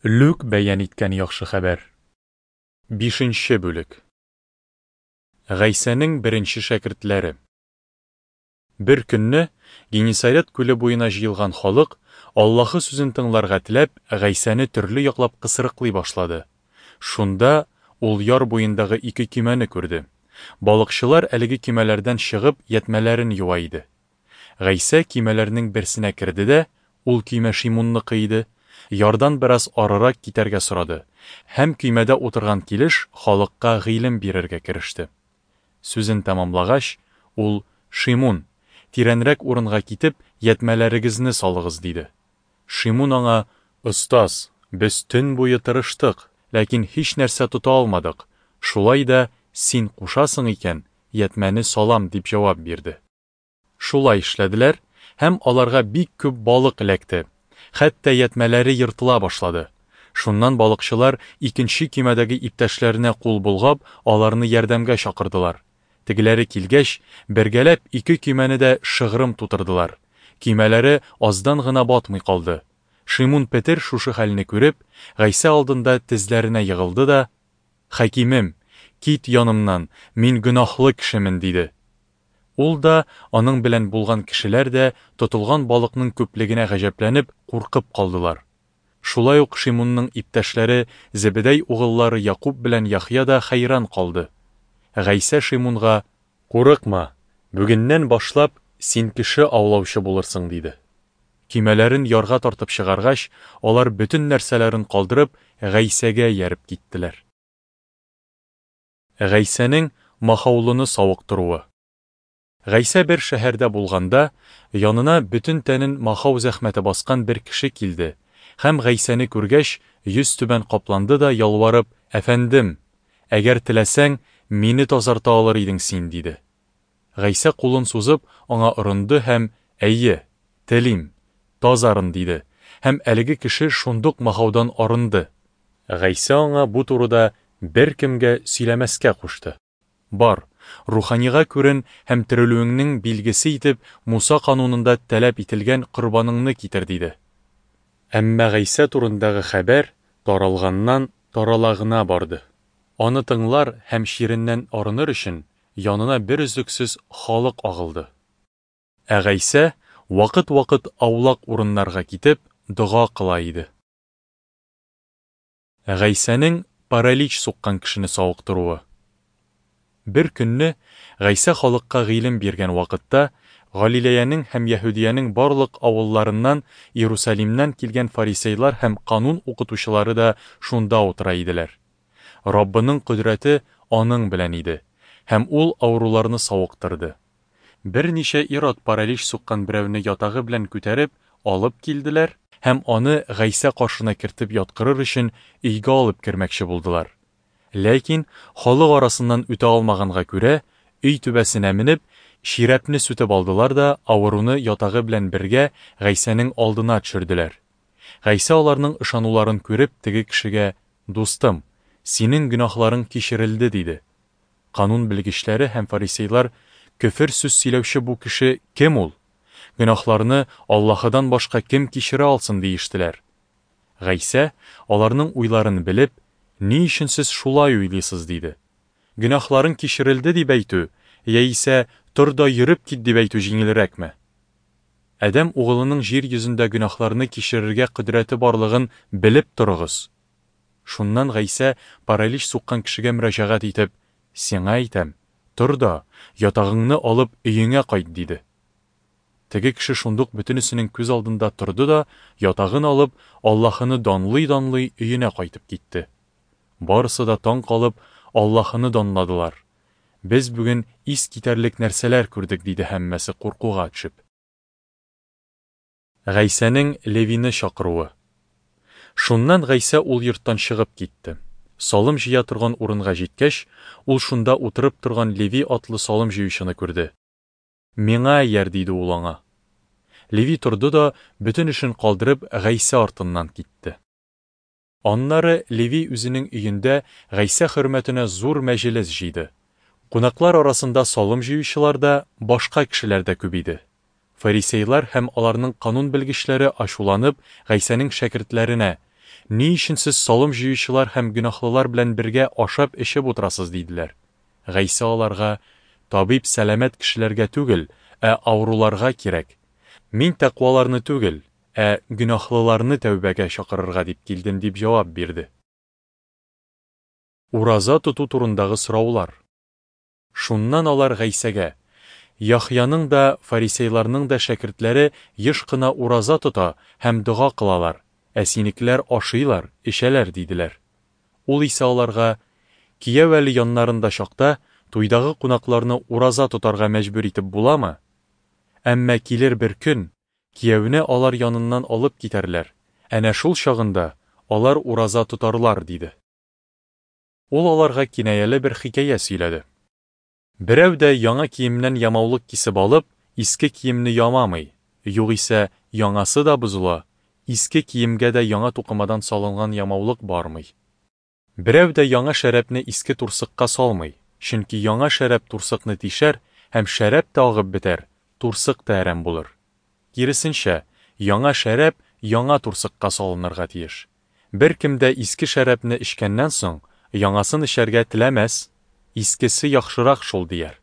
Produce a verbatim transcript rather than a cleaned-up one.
Лүк бәян иткән Яхшы хәбәр. Бишенче бүлек. Гайсәнең беренче шәкертләре. Бер көнне Генисарет күле буена җыелган халык, Аллаһы сүзен тыңларга теләп, Гайсәне төрле яклап кысрыклый башлады. Шунда ул яр буендагы ике көймәне күрде. Балыкчылар әлеге көймәләрдән чыгып, ятьмәләрен юа иде. Гайсә көймәләрнең берсенә керде дә, ул көймә Шимунныкы иде, ярдан бераз арырак китәргә сорады һәм көймәдә утырган килеш халыкка гыйлем бирергә кереште. Сүзен тәмамлагач, ул: "Шимун, тирәнрәк урынга китеп, ятьмәләрегезне салыгыз", диде. Шимун аңа: "Остаз, без төн буе тырыштык, ләкин һич нәрсә тота алмадык. Шулай да син кушасың икән, ятьмәне салам", дип җавап бирде. Шулай эшләделәр, һәм аларга бик күп балык эләкте. Хәтта ятьмәләре ертыла башлады. Шуннан балыкчылар икенче көймәдәге иптәшләренә кул болгап, аларны ярдәмгә чакырдылар. Тегеләре килгәч, бергәләп ике көймәне дә шыгрым тутырдылар. Көймәләре аздан гына батмый калды. Шимун Петер шушы хәлне күреп, Гайсә алдында тезләренә егылды да: "Хакимем, кит янымнан, мин гөнаһлы кешемен", диде. Ул да, аның белән булган кешеләр дә тотылган балыкның күплегенә гаҗәпләнеп, куркып калдылар. Шулай ук Шимунның иптәшләре Зебедәй угыллары Якуб белән Яхъя да хәйран калды. Гайсә Шимунга: "Курыкма, бүгеннән башлап син кеше аулаучы булырсың", диде. Көймәләрен ярга тартып чыгаргач, алар бөтен нәрсәләрен калдырып, Гайсәгә ияреп киттеләр. Гайсәнең махаулыны савыктыруы. Гайсә бер шәһәрдә булганда, янына бөтен тәнен махау зәхмәте баскан бер кеше килде һәм Гайсәне күргәч, йөз түбән капланды да ялварып: "Әфәндем, әгәр теләсәң, мине тазарта алыр идең син", диде. Гайсә кулын сузып, аңа орынды һәм: "Әйе, телим, тазарын", диде. Һәм әлеге кеше шундук махаудан арынды. Гайсә аңа бу турыда беркемгә сөйләмәскә кушты. "Бар, руханига күрен һәм терелүеңнең билгесе итеп Муса канунында таләп ителгән корбаныңны китер", диде. Әмма Гайсә турындагы хәбәр таралганнан тарала гына барды. Аны тыңлар һәм чиреннән арыныр өчен янына бер өзлексез халык агылды. Ә Гайсә вакыт-вакыт аулак урыннарга китеп, дога кыла иде. Гайсәнең паралич суккан кешене савыктыруы. Бер көнне Гайсә халыкка гыйлем биргән вакытта Галилеянең һәм Яһүдиянең барлык авылларыннан, Иерусалимнән килгән фарисейлар һәм канун укытучылары да шунда утыра иделәр. Раббының кодрәте аның белән иде, һәм ул авыруларны савыктырды. Берничә ир-ат паралич суккан берәүне ятагы белән күтәреп алып килделәр һәм аны Гайсә каршына кертеп яткырыр өчен өйгә алып кермәкче булдылар. Ләкин халык арасыннан үтә алмаганга күрә, өй түбәсенә менеп, чирәпне сүтеп алдылар да авыруны ятагы белән бергә Гайсәнең алдына төшерделәр. Гайсә аларның ышануларын күреп, теге кешегә: "Дустым, синең гөнаһларың кичерелде", диде. Канун белгечләре һәм фарисейлар: "Көфер сүз сөйләүче бу кеше кем ул? Гөнаһларны Аллаһыдан башка кем кичерә алсын?" диештеләр. Гайсә, аларның уйларын белеп: "Ни өчен сез шулай уйлыйсыз?" диде. "Гөнаһларың кичерелде дип әйтү, яисә тор да йөреп кит дип әйтү җиңелрәкме? Адәм угылының җир йөзендә гөнаһларны кичерергә кодрәте барлыгын белеп торыгыз". Шуннан Гайсә паралич суккан кешегә мөрәҗәгать итеп: "Сиңа әйтәм, тор да, ятагыңны алып өеңә кайт", диде. Теге кеше шундук бөтенесенең күз алдында торды да, ятагын алып, Аллаһыны данлый-данлый өенә кайтып китте. Барысы да таң калып, Аллаһыны данладылар. "Без бүген ис китәрлек нәрсәләр күрдек", диде һәммәсе куркуга төшеп. Гайсәнең Левины чакыруы. Шуннан Гайсә ул йорттан чыгып китте. Салым җыя торган урынга җиткәч, ул шунда утырып торган Леви атлы салым җыючыны күрде. "Миңа ияр", диде ул аңа. Леви торды да, бөтен эшен калдырып, Гайсә артыннан китте. Аннары Леви үзенең өендә Гайсә хөрмәтенә зур мәҗлес җыйды. Кунаклар арасында салым җыючылар да, башка кешеләр дә күп иде. Фарисейлар һәм аларның канун белгечләре ачуланып, Гайсәнең шәкертләренә: Ни өчен сез салым җыючылар һәм гөнаһлылар белән бергә ашап-эчеп утырасыз? диделәр. Гайсә аларга: Табиб сәламәт кешеләргә түгел, ә авыруларга кирәк. Мин тәкъваларны түгел, ә гөнаһлыларны тәүбәгә чакырырга дип килдем, дип җавап бирде. Ураза тоту турындагы сораулар. Шуннан алар Гайсәгә: Яхъяның да, фарисейларның да шәкертләре еш кына ураза тота һәм дога кылалар, ә синекеләр ашыйлар, эчәләр, диделәр. Ул исә аларга: Кияү әле яннарында чакта, туйдагы кунакларны ураза тотарга мәҗбүр итеп буламы? Әмма килер бер көн, кияүне алар яныннан алып китәрләр. Әнә шул чагында алар ураза тотарлар, диде. Ул аларга кинаяле бер хикәя сөйләде. Берәү дә яңа киемнән ямаулык кисеп алып, иске киемне ямамый, югыйсә яңасы да бозыла, иске киемгә дә яңа тукымадан салынган ямаулык бармый. Берәү дә яңа шәрабны иске турсыкка салмый, чөнки яңа шәраб турсыкны тишәр һәм шәраб тә агып бетәр, турсык та әрәм булыр. Киресенчә, яңа шәраб яңа турсыкка салынырга тиеш. Беркем дә иске шәрабны эчкәннән соң, яңасын эчәргә теләмәс, искесе яхшырак шул дияр.